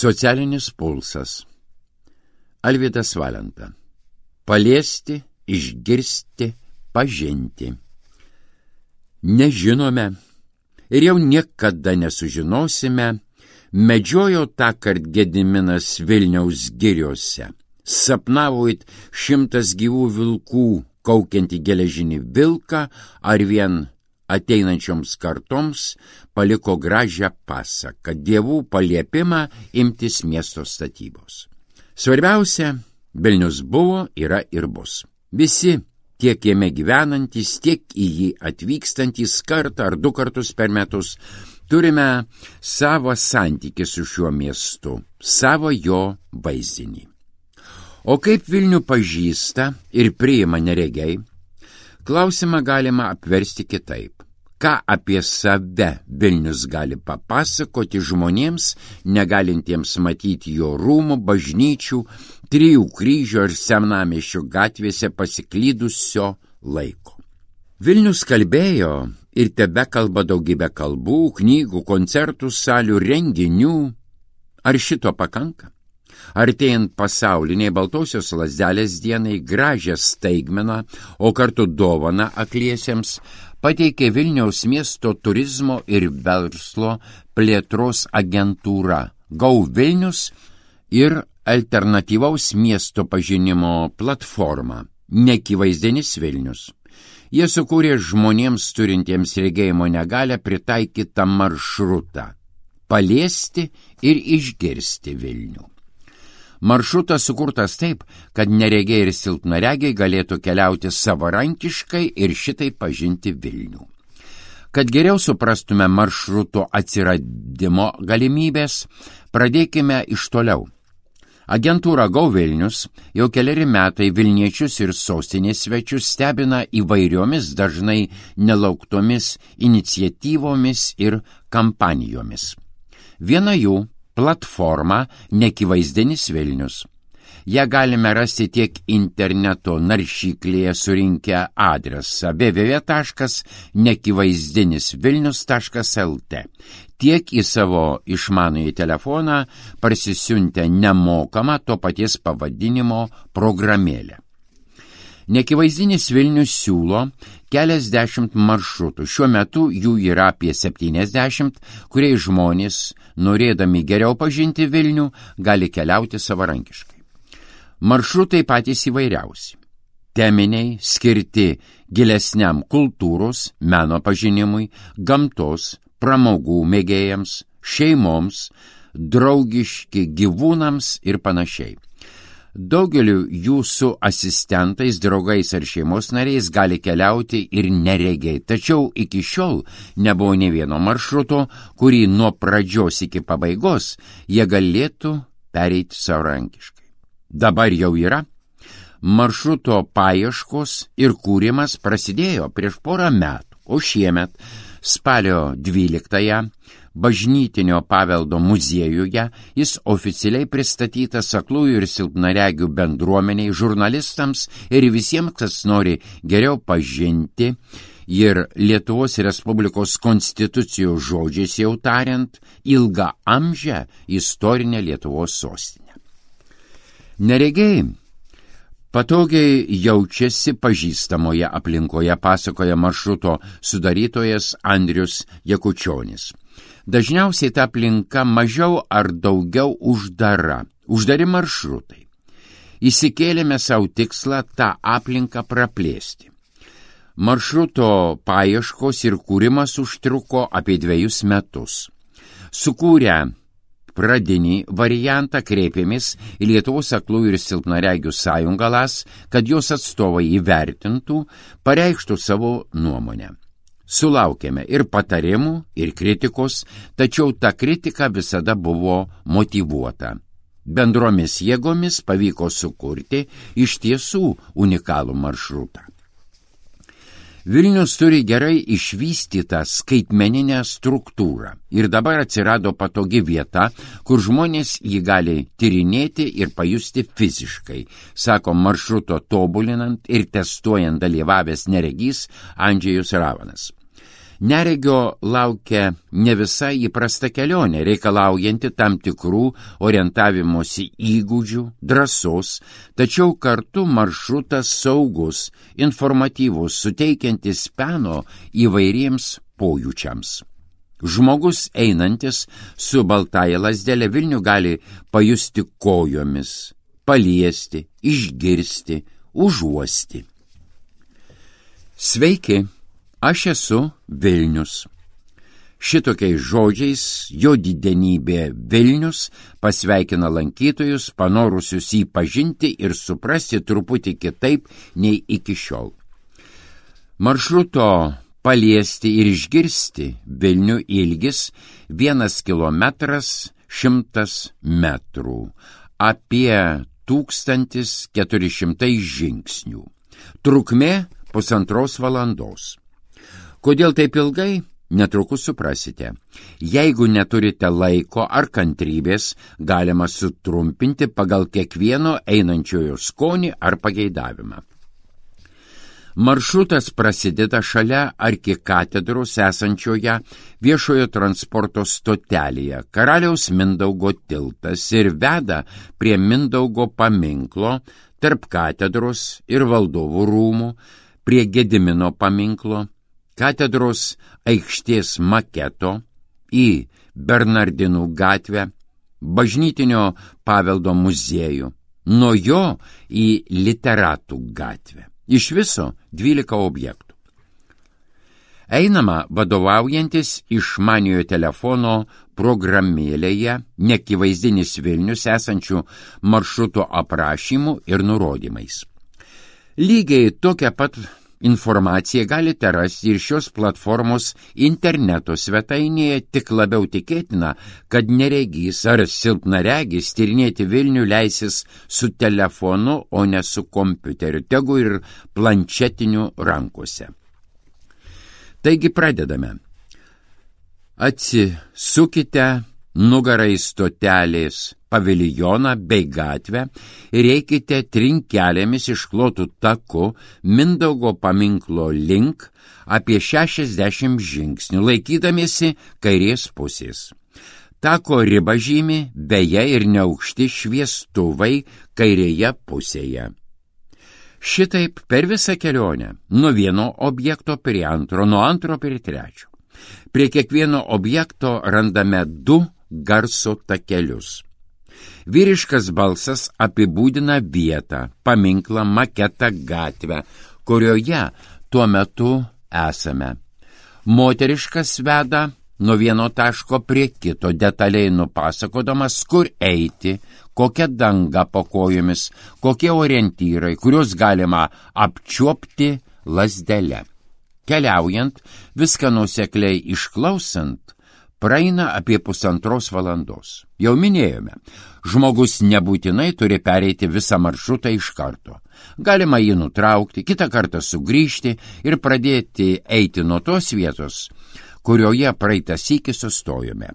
Socialinis pulsas. Alvydas Valenta. Paliesti, išgirsti, pažinti. Nežinome ir jau niekada nesužinosime, medžiojo tąkart Gediminas Vilniaus giriose. Sapnavo it 100 gyvų vilkų, kaukiantį geležinį vilką, ar vien ateinančioms kartoms paliko gražią pasaką, dievų paliepimą imtis miesto statybos. Svarbiausia, Vilnius buvo, yra ir bus. Visi, tiek jame gyvenantys, tiek į jį atvykstantys kartą ar 2 kartus per metus, turime savo santykį su šiuo miestu, savo jo vaizdinį. O kaip Vilnių pažįsta ir priima neregiai, klausimą galima apversti kitaip. Ką apie save Vilnius gali papasakoti žmonėms, negalintiems matyti jo rūmų, bažnyčių, 3 kryžių ar Senamiesčio gatvėse pasiklydusio laiko. Vilnius kalbėjo ir tebekalba daugybę kalbų, knygų, koncertų, salių, renginių. Ar šito pakanka? Artėjant pasauliniai Baltosios lazdelės dienai gražią staigmeną, o kartu dovaną akliesiems, pateikė Vilniaus miesto turizmo ir verslo plėtros agentūra Go Vilnius ir alternatyvaus miesto pažinimo platforma Neakivaizdinis Vilnius. Jie sukūrė žmonėms turintiems regėjimo negalią pritaikytą maršrutą – paliesti ir išgirsti Vilnių. Maršrutas sukurtas taip, kad neregiai ir silpnaregiai galėtų keliauti savarankiškai ir šitai pažinti Vilnių. Kad geriau suprastume maršruto atsiradimo galimybės, pradėkime iš toliau. Agentūra Go Vilnius jau keleri metai Vilniečius ir sostinės svečius stebina įvairiomis, dažnai nelauktomis iniciatyvomis ir kampanijomis. Viena jų platforma Neakivaizdinis Vilnius. Ją galime rasti tiek interneto naršyklėje surinkę adresą www.neakivaizdininsvilnius.lt, tiek į savo išmanųjį telefoną parsisiuntę nemokamą to paties pavadinimo programėlę. Neakivaizdinis Vilnius siūlo keliasdešimt maršrutų. Šiuo metu jų yra apie 70, kuriais žmonės, norėdami geriau pažinti Vilnių, gali keliauti savarankiškai. Maršrutai patys įvairiausi. Teminiai, skirti gilesniam kultūros, meno pažinimui, gamtos, pramogų mėgėjams, šeimoms, draugiški gyvūnams ir panašiai. Daugeliu jų su asistentais, draugais ar šeimos nariais gali keliauti ir neregiai, tačiau iki šiol nebuvo nė vieno maršruto, kurį nuo pradžios iki pabaigos jie galėtų pereiti savarankiškai. Dabar jau yra. Maršruto paieškos ir kūrimas prasidėjo prieš 1 metų, o šiemet, spalio 12-ąją, Bažnytinio paveldo muziejuje jis oficialiai pristatytas aklųjų ir silpnaregių bendruomeniai, žurnalistams ir visiems, kas nori geriau pažinti ir Lietuvos Respublikos konstitucijos žodžiais jau tariant, ilgaamžę istorinę Lietuvos sostinę. Neregiai patogiai jaučiasi pažįstamoje aplinkoje, pasakoja maršruto sudarytojas Andrius Jakučionis. Dažniausiai ta aplinka mažiau ar daugiau uždari maršrutai. Įsikėlėme savo tikslą tą aplinką praplėsti. Maršruto paieškos ir kūrimas užtruko apie 2 metus. Sukūrę pradinį variantą kreipėmės į Lietuvos aklųjų ir silpnaregių sąjungą LAS, kad jos atstovai įvertintų, pareikštų savo nuomonę. Sulaukėme ir patarimų, ir kritikos, tačiau ta kritika visada buvo motyvuota. Bendromis jėgomis pavyko sukurti iš tiesų unikalų maršrutą. Vilnius turi gerai išvystytą skaitmeninę struktūrą ir dabar atsirado patogi vieta, kur žmonės jį gali tyrinėti ir pajusti fiziškai, sako maršruto tobulinant ir testuojant dalyvavęs neregys Andžejus Ravanas. Neregio laukia ne visai įprasta kelionė, reikalaujanti tam tikrų orientavimosi įgūdžių, drąsos, tačiau kartu maršrutas saugus, informatyvus, suteikiantis peno įvairiems pojūčiams. Žmogus einantis su baltąja lazdele Vilnių gali pajusti kojomis, paliesti, išgirsti, užuosti. Sveiki! Aš esu Vilnius. Šitokiais žodžiais jo didenybė Vilnius pasveikina lankytojus, panorusius jį pažinti ir suprasti truputį kitaip nei iki šiol. Maršruto paliesti ir išgirsti Vilnių ilgis 1 kilometras 100 metrų, apie 1400 žingsnių. Trukmė 1,5 valandos. Kodėl taip ilgai? Netrukus suprasite. Jeigu neturite laiko ar kantrybės, galima sutrumpinti pagal kiekvieno einančiojo skonį ar pageidavimą. Maršrutas prasideda šalia arkikatedros esančioje viešojo transporto stotelėje. Karaliaus Mindaugo tiltas ir veda prie Mindaugo paminklo, tarp katedros ir valdovų rūmų, prie Gedimino paminklo, katedros aikštės maketo, į Bernardinų gatvę, bažnytinio paveldo muziejų, nuo jo į Literatų gatvę. Iš viso 12 objektų. Einama vadovaujantis išmaniojo telefono programėlėje neakivaizdinis Vilnius esančių maršruto aprašymų ir nurodymais. Lygiai tokią pat informaciją galite rasti ir šios platformos interneto svetainėje, tik labiau tikėtina, kad neregys ar silpnaregis tyrinėti Vilnių leisis su telefonu, o ne su kompiuteriu, tegu ir planšetiniu rankose. Taigi pradedame. Atsisukite nugarą į stotelės paviljoną bei gatvę ir eikite trinkelėmis išklotų taku Mindaugo paminklo link apie 60 žingsnių, laikydamiesi kairės pusės. Tako ribą žymi beje ir neaukšti šviestuvai kairėje pusėje. Šitaip per visą kelionę, nuo vieno objekto prie antro, nuo antro prie trečio. Prie kiekvieno objekto randame 2 garso takelius. Vyriškas balsas apibūdina vietą, paminklą, maketą, gatvę, kurioje tuo metu esame. Moteriškas veda nuo vieno taško prie kito, detaliai nupasakodamas, kur eiti, kokia danga po kojomis, kokie orientyrai, kuriuos galima apčiuopti lazdele. Keliaujant, viską nuosekliai išklausant, praeina apie 1,5 valandos. Jau minėjome, žmogus nebūtinai turi pereiti visą maršrutą iš karto. Galima jį nutraukti, kitą kartą sugrįžti ir pradėti eiti nuo tos vietos, kurioje praeitą sykį sustojome.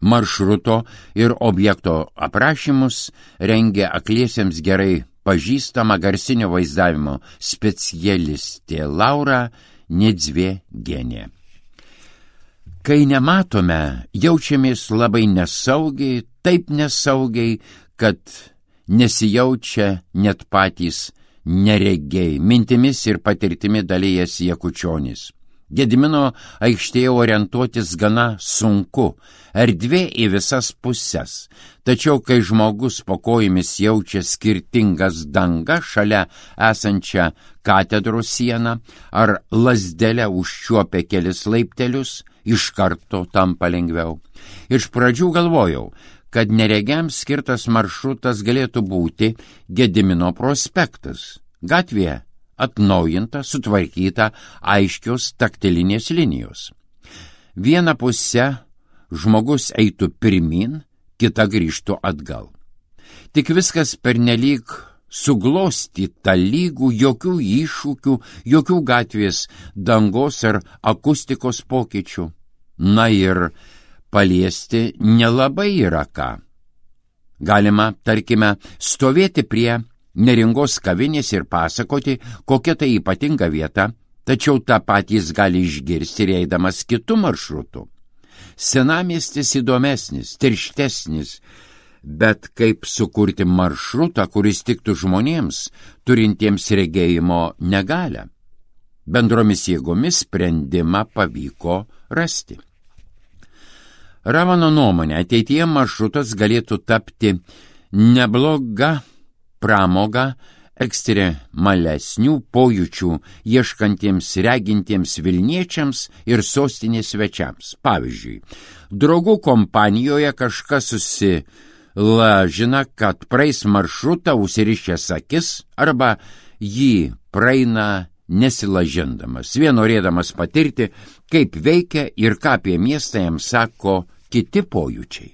Maršruto ir objekto aprašymus rengia akliesiems gerai pažįstama garsinio vaizdavimo specialistė Laura Niedzvėgienė. Kai nematome, jaučiamės labai nesaugiai, taip nesaugiai, kad nesijaučia net patys neregiai, mintimis ir patirtimi dalyjasi Jakučionis. Gedimino aikštėje orientuotis gana sunku, erdvė į visas puses, tačiau kai žmogus po kojomis jaučia skirtingas dangas šalia esančią katedros sieną ar lazdelę užčiuopia kelis laiptelius, iš karto tampa lengviau. Iš pradžių galvojau, kad neregiams skirtas maršrutas galėtų būti Gedimino prospektas. Gatvėje atnaujinta, sutvarkyta, aiškios taktilinės linijos. Viena pusė žmogus eitų pirmin, kita grįžtų atgal. Tik viskas pernelyg suglostyta, lygų, jokių iššūkių, jokių gatvės dangos ar akustikos pokyčių. Na ir paliesti nelabai yra ką. Galima, tarkime, stovėti prie Neringos kavinės ir pasakoti, kokia tai ypatinga vieta, tačiau tą patį jis gali išgirsti ir eidamas kitu maršrutu. Senamiestis įdomesnis, tirštesnis, bet kaip sukurti maršrutą, kuris tiktų žmonėms, turintiems regėjimo negalią? Bendromis jėgomis sprendimą pavyko rasti. Ravano nuomonė, ateityje maršrutas galėtų tapti nebloga pramoga ekstremalesnių pojūčių ieškantiems regintiems Vilniečiams ir sostinės svečiams. Pavyzdžiui, draugų kompanijoje kažkas susilažina, kad praeis maršrutą užsirišęs akis arba jį praeina nesilažindamas, vien norėdamas patirti, kaip veikia ir ką apie miestą jam sako kiti pojūčiai.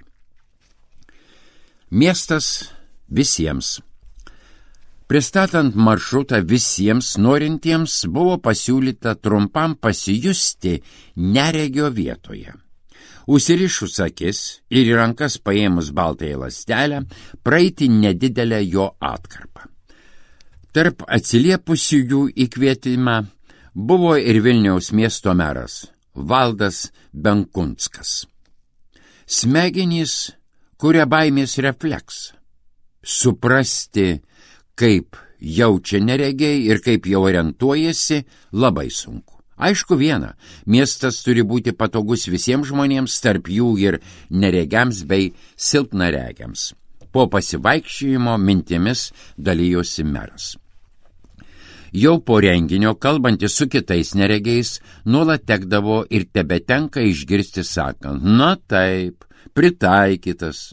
Miestas visiems. Pristatant maršrutą visiems norintiems buvo pasiūlyta trumpam pasijusti neregio vietoje. Užsirišus akis ir į rankas paėmus baltąją lastelę, praeiti nedidelę jo atkarpą. Tarp atsiliepusiųjų į kvietimą buvo ir Vilniaus miesto meras Valdas Benkunskas. Smegenys kuria baimės refleksą. Suprasti, kaip jaučia neregiai ir kaip jau orientuojasi, labai sunku. Aišku viena, miestas turi būti patogus visiems žmonėms, tarp jų ir neregiams bei silpnaregiams. Po pasivaikščiojimo mintimis dalijosi meras. Jau po renginio, kalbantis su kitais neregiais, nuolat tekdavo ir tebetenka išgirsti sakant, na taip, pritaikytas.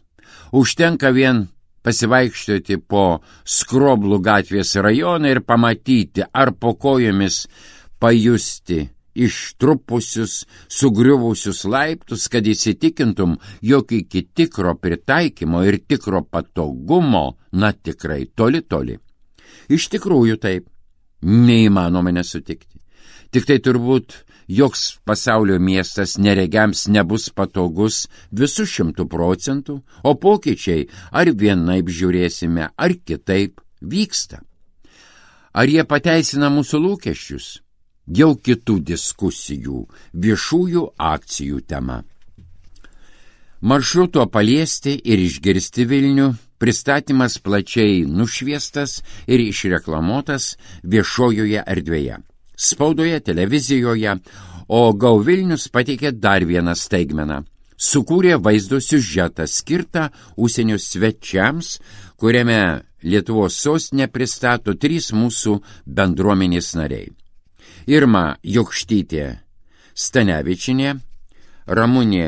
Užtenka vien pasivaikščioti po Skroblų gatvės rajoną ir pamatyti, ar po kojomis pajusti ištrupusius, sugriuvusius laiptus, kad įsitikintum, jog iki tikro pritaikymo ir tikro patogumo, na tikrai toli. Iš tikrųjų taip, neįmanoma nesutikti. Tik tai turbūt joks pasaulio miestas neregiams nebus patogus visų 100%, o pokyčiai ar vienaip žiūrėsime, ar kitaip vyksta. Ar jie pateisina mūsų lūkesčius? Jau kitų diskusijų, viešųjų akcijų tema. Maršruto paliesti ir išgirsti Vilnių pristatymas plačiai nušviestas ir išreklamuotas viešojoje erdvėje. Spaudoje, televizijoje, o Go Vilnius pateikė dar vieną staigmeną. Sukūrė vaizdo siužetą skirtą užsienio svečiams, kuriame Lietuvos sostinę pristato 3 mūsų bendruomenės nariai. Irma Jokštytė Stanevičinė, Ramunė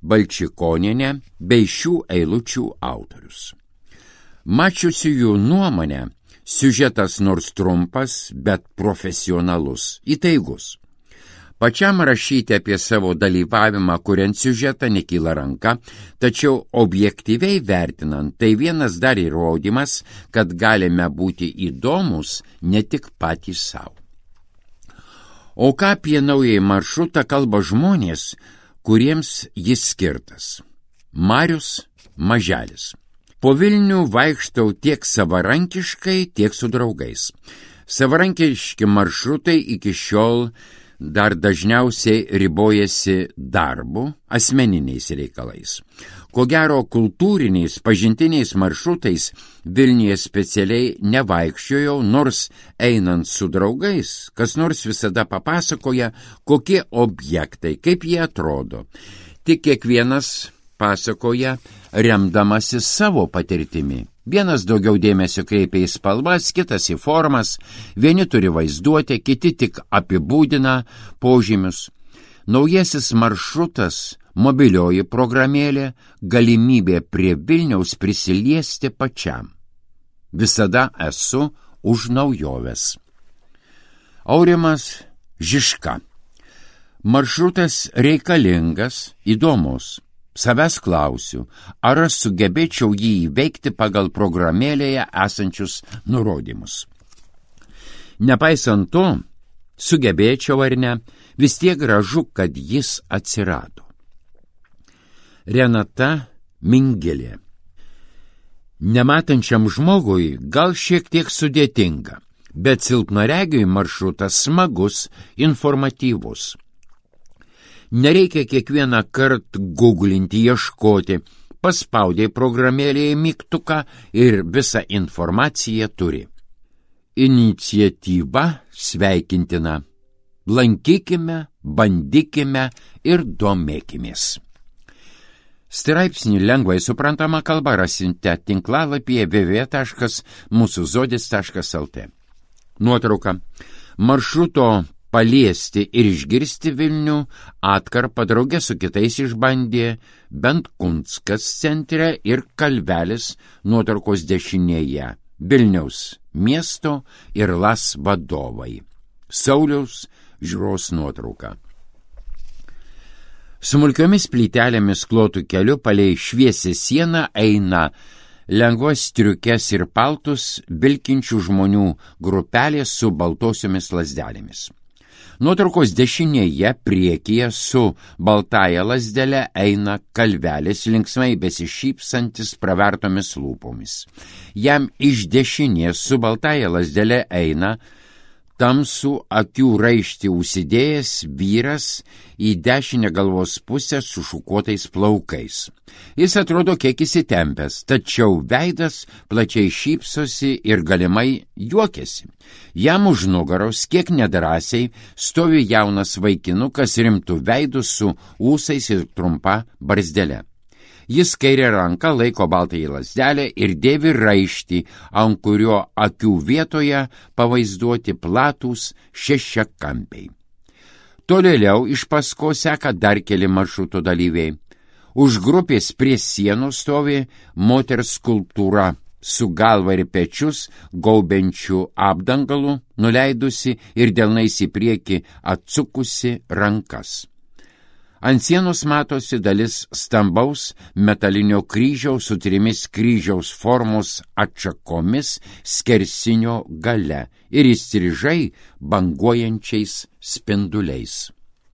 Balčikonienė bei šių eilučių autorius. Mačiusiųjų nuomonę, siužetas nors trumpas, bet profesionalus, įtaigus. Pačiam rašyti apie savo dalyvavimą kuriant siužetą nekyla ranka, tačiau objektyviai vertinant, tai vienas dar įrodymas, kad galime būti įdomus ne tik patys savo. O ką apie naująjį maršrutą kalba žmonės, kuriems jis skirtas? Marius Maželis. Po Vilnių vaikštau tiek savarankiškai, tiek su draugais. Savarankiški maršrutai iki šiol dar dažniausiai ribojasi darbu, asmeniniais reikalais. Ko gero, kultūriniais, pažintiniais maršrutais Vilniuje specialiai nevaikščiojau, nors einant su draugais, kas nors visada papasakoja, kokie objektai, kaip jie atrodo. Tik kiekvienas pasakoja remdamasi savo patirtimi. Vienas daugiau dėmesio kreipia į spalvas, kitas į formas, vieni turi vaizduotę, kiti tik apibūdina požymius. Naujasis maršrutas, mobilioji programėlė, galimybė prie Vilniaus prisiliesti pačiam. Visada esu už naujoves. Aurimas Žižka. Maršrutas reikalingas, įdomus. Savęs klausiu, ar aš sugebėčiau jį įveikti pagal programėlėje esančius nurodymus. Nepaisant to, sugebėčiau ar ne, vis tiek gražu, kad jis atsirado. Renata Mingelė. Nematančiam žmogui gal šiek tiek sudėtinga. bet silpnaregiui maršrutas smagus, informatyvus. Nereikia kiekvieną kartą googlinti, ieškoti, paspaudė programėlėje mygtuką ir visą informaciją turi. Iniciatyva sveikintina. Lankykime, bandykime ir domėkimės. Straipsnį lengvai suprantama kalba rasite tinklalapyje www.musuzodis.lt. Nuotrauka. Maršruto paliesti ir išgirsti Vilnių atkarpą drauge su kitais išbandė Bentkunskas centre ir Kalvelis nuotraukos dešinėje Vilniaus miesto ir LAS vadovai. Sauliaus Žiūros nuotrauka. Smulkiomis plytelėmis klotų keliu palei šviesią sieną eina lengvas striukes ir paltus vilkinčių žmonių grupelė su baltosiomis lazdelėmis. Nuotraukos dešinėje priekyje su baltąja lazdele eina Kalvelis, linksmai besišypsantis pravertomis lūpomis. Jam iš dešinės su baltąja lazdele eina tamsų akių raištį užsidėjęs vyras į dešinę galvos pusę su šukuotais plaukais. Jis atrodo kiek įsitempęs, tačiau veidas plačiai šypsosi ir galimai juokiasi. Jam už nugaros kiek nedrąsiai stovi jaunas vaikinukas rimtų veidų su ūsais ir trumpa barzdele. Jis kairę ranką laiko baltąjį lazdelę ir dėvi raištį, ant kurio akių vietoje pavaizduoti platūs šešiakampiai. Tolėliau iš paskos seka dar keli maršruto dalyviai. Už grupės prie sienos stovi moters skulptūra su galva ir pečius gaubiančių apdangalų, nuleidusi ir delnais į priekį atsukusi rankas. Ant sienos matosi dalis stambaus metalinio kryžiaus su 3 kryžiaus formos atšakomis skersinio gale ir įstrižai banguojančiais spinduliais.